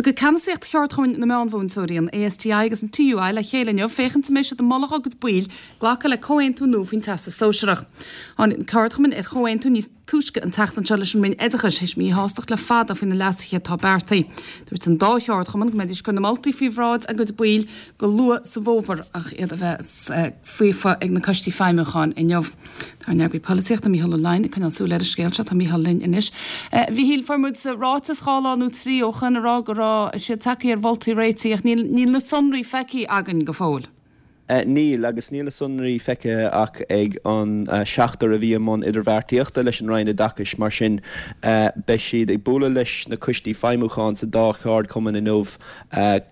Tiocfaidh ceannasaíocht cheardchumainn na meánmhúinteoirí, an ASTI agus an TUI, le chéile inniu féachaint an mbeidh siad ag moladh dá gcuid baill glacadh le comhaontú nua faoin Teastas Sóisearach. Tháinig na ceardchumainn ar chomhaontú níos túisce an tseachtain seo leis an Roinn Oideachais, théis míshástacht le fada faoi na leasuithe atá beartaithe. Dúirt an dá cheardchumann go mbeidís ag cur na moltaí faoi bhráid a gcuid baill go luath sa bhfómhar ach iad a bheith faofa ag na coistí feidhmiúcháin inniu. Tá ár n-eagraí polaitíochta, Mícheál Ó Leidhin, ag coinneáil súil ar an scéal seo. Tá Mícheál linn anois. A Mhíchíl, fuair muid ráiteas dhá lá nó trí ó shoin a rá go raibh siad tagtha ar mholtaí réitigh ach níl níl na sonraí feicthe againn go fóill. Níl, agus níl na sonraí feicthe ach ag an seachtar a bhí i mbun idirbheartaíochta leis an Roinn Oideachais. Mar sin, beidh siad ag bualadh leis na coistí feidhmiúcháin sa dá cheardchumann inniu.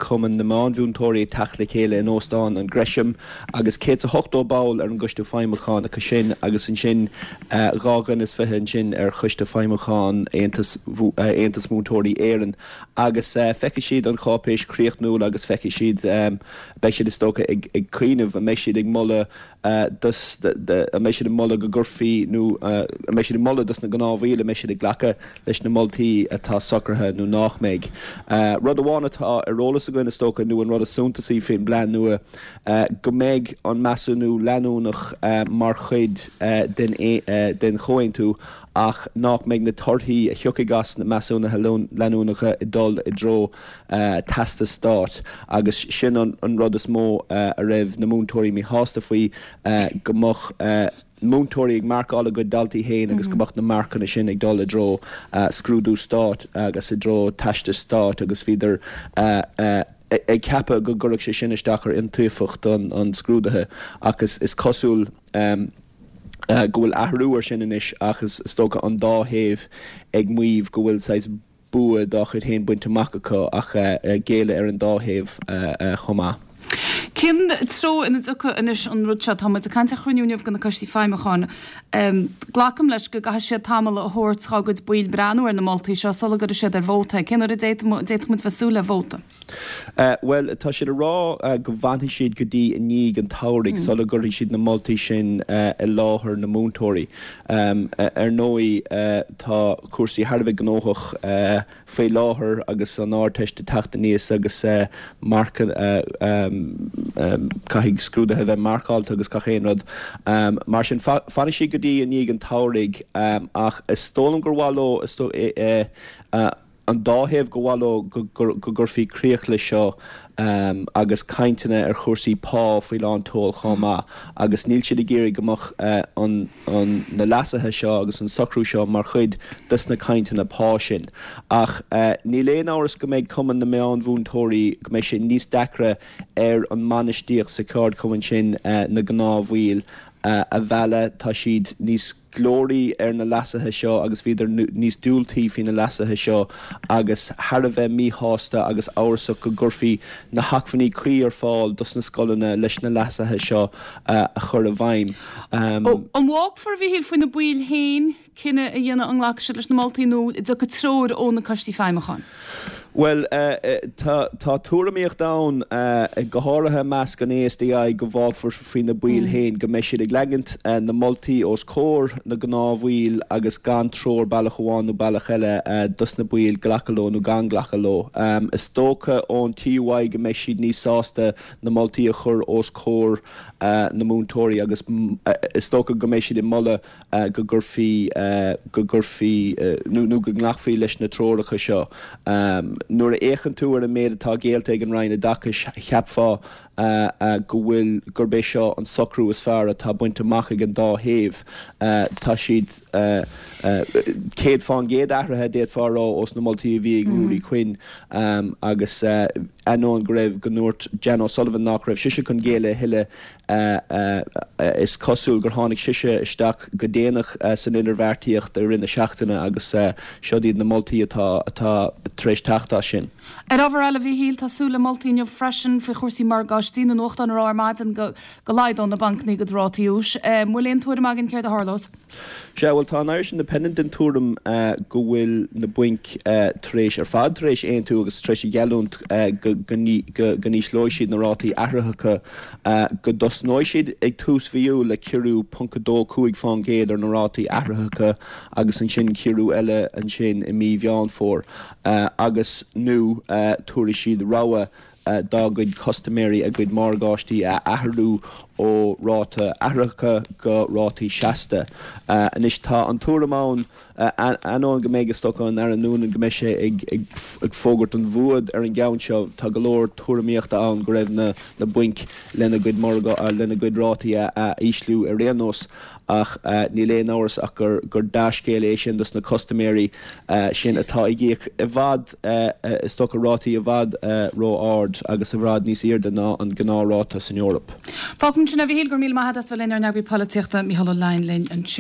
Cumann na Meánmhúinteoirí ag teacht le chéile in Óstán an Gresham agus 180 ball ar an gcoiste feidhmiúcháin acu sin agus ansin dhá dhuine is fiche ansin ar choiste feidhmiúcháin Aontas Aontas Múinteoirí Éireann agus feicfidh siad an cháipéis chríochnúil agus feicfidh siad beidh siad is dócha ag ag cuimhneamh an mbeidh siad ag moladh dos an mbeidh siad ag moladh go gcuirfí nó an mbeidh siad ag moladh dos na gnáthbhaill an mbeidh siad ag glacadh leis na moltaí atá socraithe nó nách mbeidh. Rud amháin atá ar eolas againn is dócha nó an rud is suntasaí faoin bplean nua go mbeidh an measúnú leanúnach mar chuid den den chomhaontú ach nách mbeidh na torthaí a thiocfaidh as na measúnuithe leanúnacha ag dul i dtreo teastas stáit agus sin an rud is mó a raibh na múinteoirí míshásta faoi, go mbeadh múinteoirí ag marcáil a gcuid daltaí féin agus go mbeadh na marcanna sin ag dul i dtreo scrúdú stáit agus i dtreo teastais stáit agus bhíodar ag ceapadh go gcuirfeadh sé sin isteach ar iontaofacht an scrúdaithe ach is cosúil go bhfuil athrú ar sin anois ach is dócha an dá thaobh ag maíomh go bhfuil saghas bua dá chuid féin bainte amach acu ach géilleadh ar an dá thaobh chomh maith. Cén treo ina dtiocfaidh anois an rud seo? Tá muid ag caint ar chruinniú inniu de na coistí feidhmiúcháin. Glacaim leis go gcaithfidh siad tamall a thabhairt dhá gcuid baill breathnú ar na moltaí seo sula gcuirfidh siad ar vóta é. Cén uair a d'fhéadfadh muid bheith ag súil le vóta? Bhuel, tá siad ag rá go bhfanfaidh siad go dtí i ndiaidh an tsamhraidh sula gcuirfidh siad na moltaí sin i láthair na múinteoirí. Ar ndóigh, tá cúrsaí thar a bheith gnóthach faoi láthair agus an Ardteist ag teacht aníos agus marcanna, caithfidh scrúduithe a bheith marcáilte agus gach aon rud. Mar sin, fanfaidh siad go dtí i ndiaidh an tsamhraidh ach is dóigh liom gur mhaith leo, an dá thaobh gur mhaith leo go gcuirfí críoch leis seo agus cainteanna ar chúrsaí pá faoi lán tseoil chomh maith agus níl siad ag iarraidh go mbeadh an na leasuithe seo agus an socrú seo mar chuid des na cainteanna pá sin. Ach níl aon amhras go mbeidh Cumann na Meánmhúinteoirí, go mbeidh sé níos deacra ar an mbainistíocht sa cheardchumann sin na gnáthbhaill a mhealladh, tá siad níos. glóraí ar na leasuithe seo agus bhíodar níos diúltaí faoi na leasuithe seo agus thar a bheith míshásta agus amhrasach go gcuirfí na hacmhainní cuí ar fáil dos na scoileanna leis na leasuithe seo a chur i bhfeidhm. An bhfágfar, a Mhíchíl, faoi na baill féin cinneadh a dhéanamh an nglacfaidh siad leis na moltaí nó an dtiocfaidh treoir ó na coistí feidhmiúcháin? Bhuel, tá tuairimíocht ann, go háirithe i measc an ASTI, go bhfágfar faoi na baill féin, go mbeidh siad ag leagaint na moltaí os comhair na ngnáthbhaill agus gan treoir bealach amháin nó bealach eile dos na baill glacadh leo nó gan glacadh leo. Is dócha ón TUI go mbeidh siad níos sásta na moltaí a chur os comhair na múinteoirí agus is dócha go mbeidh siad ag moladh go gcuirfí, go gcuirfí nó go nglacfaí leis na treoracha seo. Nuair a fhéachann tú ar an méid atá géillte ag an Roinn Oideachais, cheapfá go bhfuil, gurb é seo an socrú is fearr atá bainte amach ag an dá thaobh. Tá siad 100% athraithe, d'fhéadfá a rá, ós na moltaí a bhí ag Ruairí Quinn agus ainneoin go raibh, go ndúirt Jan O'Sullivan nach raibh sise chun géilleadh a thuilleadh, Is cosúil gur tháinig sise isteach go déanach san idirbheartaíocht i rith na seachtaine agus seod iad na moltaí atá tar éis teacht as sin. Ar ábhar eile, a Mhíchíl, tá súil le moltaí inniu freisin faoi chúrsaí morgáistí. Na nuachtáin ag rá ar maidin go laghdódh na bancanna a gcuid rátaí úis. An bhfuil aon tuairim againn céard a tharlós? Sea, bhuel, tá an Irish Independent den tuairim go bhfuil na bainc tar éis, ar fad tar éis aontú agus tar éis a gheallúint go n-ísleoidh siad na rátaí athraitheacha, go dtosnóidh siad ag tús mhí Iúil le ciorrú 0.25% ar na rátaí athraitheacha agus ansin ciorrú eile ansin i mí Mheán Fómhair agus, nó tabharfaidh siad rogha dá gcuid custaiméirí a gcuid morgáistí a athrú ó ráta athraitheacha go rátaí seasta. Anois tá an tuairim ann, ainneoin go mbeidh is dócha an Aire Noonan go mbeidh sé ag fógairt an bhua ar an gceann seo, tá go leor tuairimíochta ann go raibh na bainc lena gcuid lena gcuid rátaí a ísliú ar aon nós. Ach níl aon amhras ach gur dea-scéal é sin dos na custaiméirí sin atá ag íoc i bhfad, is dócha, rátaí i bhfad ró-ard agus i bhfad níos airde ná an gnáthráta san Eoraip. Fágfaimid sin é, a Mhichíl, go raibh míle maith agat as bheith linn, ár n-eagraí polaitíochta, Mícheál Ó Leidhin linn ansin.